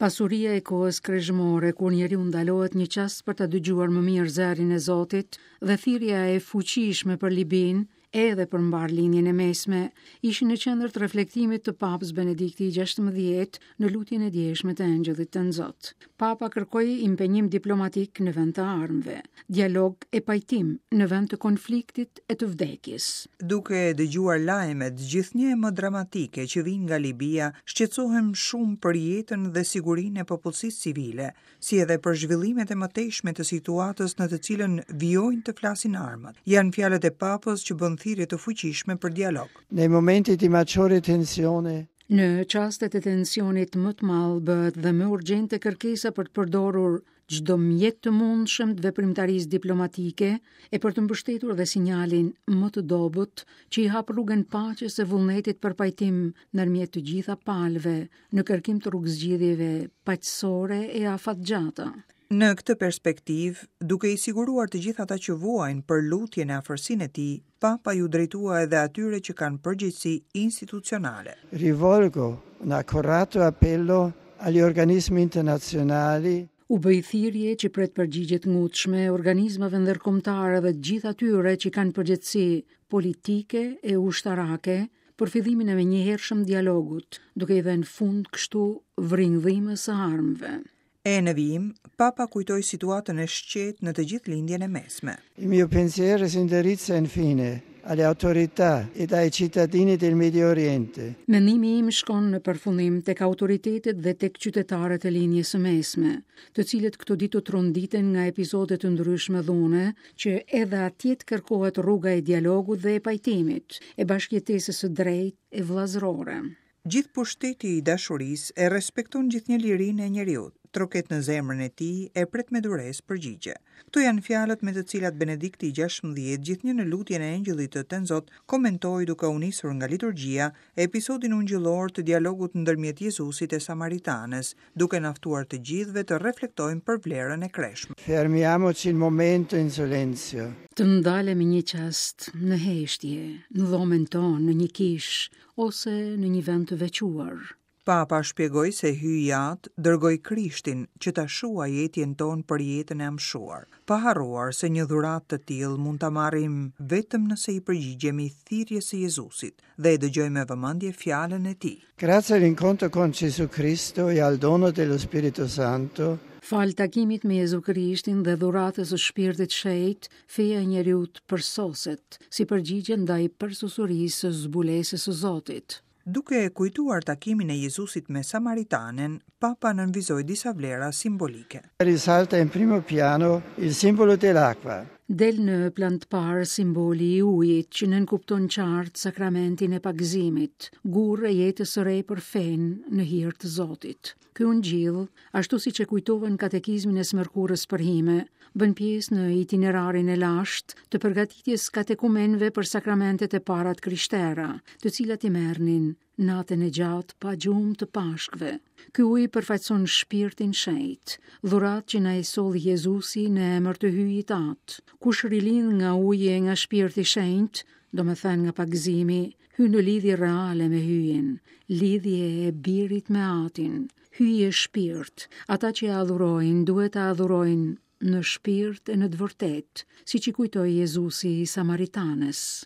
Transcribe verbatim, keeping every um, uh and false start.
Pasuria e kohës kreshmore, kur njeriu ndalohet një çast për ta dëgjuar më mirë zërin e Zotit dhe thirrja e fuqishme për Libinë, edhe për mbarë Lindjen e Mesme, ishin në qendër të reflektimit të Papës Benedikti i gjashtëmbëdhjetë në lutjen e djeshme të Engjëllit Tënzot. Papa kërkoi impenjim diplomatik në vend të armëve, dialog e pajtim në vend të konfliktit e të vdekjes. Duke dëgjuar lajmet gjithnjë e më dramatike që vijnë nga Libia, shqetësohem shumë për jetën dhe sigurinë e popullsisë civile, si edhe për zhvillimet e mëtejshme të situatës në të cilën vijojnë të flasin armët. Janë fjalët e Papës që bën thirrje të fuqishme për dialog. Nei momenti di maggiore tensione, Në çastet e tensionit më të madh bëhet dhe më urgjente kërkesa për të përdorur çdo mjet të mundshëm të veprimtarisë diplomatike e për të mbështetur dhe sinjalin më të dobët që i hap rrugën paqes e vullnetit për pajtim ndërmjet të gjitha palëve në kërkim të rrugëzgjidhjeve paqësore e afatgjata. Në këtë perspektivë, duke i siguruar të gjithë ata që vuajnë për lutjen e afërsinë e tij, Papa ju drejtua edhe atyre që kanë përgjegjësi institucionale. Rivolgo un accorato appello agli organismi internazionali U bëj thirrje që pret përgjigje të ngutshme organizmave ndërkombëtare dhe të gjithë atyre që kanë përgjegjësi politike e ushtarake për fillimin e menjëhershëm dialogut, duke i dhënë fund kështu vringdhimës së armëve. E në vijim, Papa kujtoi situatën e shqet në të gjithë Lindjen e Mesme. Il mio pensiero si indirizza infine alle autorità ed ai cittadini del Medio Oriente. Mendimi im shkon në përfundim tek autoritetet dhe tek qytetarët e Lindjes së Mesme, të cilët këto ditë u tronditen nga episode të ndryshme dhune, që edhe atje të kërkohet rruga e dialogut dhe e pajtimit, e bashkëjetesës së drejtë e vëllazërore. Gjithë pushteti i dashurisë e respekton gjithnjë lirinë e njeriut, troket në zemrën e tij e pret me duresë përgjigje. Këto janë fjalët me të cilat Benedikti i gjashtëmbëdhjetë gjithnjë në lutjen e Engjëllit të Tënzot komentoi duke u nisur nga liturgjia episodin ungjillor të dialogut ndërmjet Jezusit e Samaritanes, duke na ftuar të gjithëve të reflektojmë për vlerën e kreshme. Fermiamoci un momento in silenzio. Të ndalemi një çast në heshtje, në dhomën tonë, në një kishë ose në një vend të veçuar. Papa shpjegoi se Hyji Atë dërgoi Krishtin që ta shuajë etjen tonë për jetën e amshuar, pa harruar se një dhuratë të tillë mund ta marrim vetëm nëse i përgjigjemi thirrjes së Jezusit dhe e dëgjojmë me vëmendje fjalën e tij. Grazie all'incontro con Gesù Cristo e al dono dello Spirito Santo, Fal takimit me Jezu Krishtin dhe dhuratës së Shpirtit Shenjt, feja e njeriut përsoset, si përgjigje ndaj përsosurisë së zbulesës së Zotit. Duke e kujtuar takimin e Jezusit me Samaritanen, Papa nënvizoi disa vlera simbolike. Risalta in primo piano il simbolo dell'acqua. Del në plan të parë simboli i ujit që nënkupton qartë sakramentin e pagëzimit, gurë e jetës së re për fenë në hir të Zotit. Ky ungjill, ashtu siç e kujtova në katekizmin e së mërkurës përhime, bën pjesë në itinerarin e lashtë të përgatitjes katekumenëve për sakramentet e para të krishtera, të cilat i merrnin natën e gjatë pa gjumë të Pashkëve. Ky ujë përfaqëson shpirtin shenjt, dhuratë që na e solli Jezusi në emër të Hyjit Atë. Kush rilind nga uji e nga shpirti shenjt, do me thënë nga pagëzimi, hyn në lidhje reale me Hyjin, lidhje e birit me Atin. Hyji është shpirt, ata që e adhurojnë duhet ta adhurojnë në shpirt e në të vërtetë, siç i kujtoi Jezusi i Samaritanes.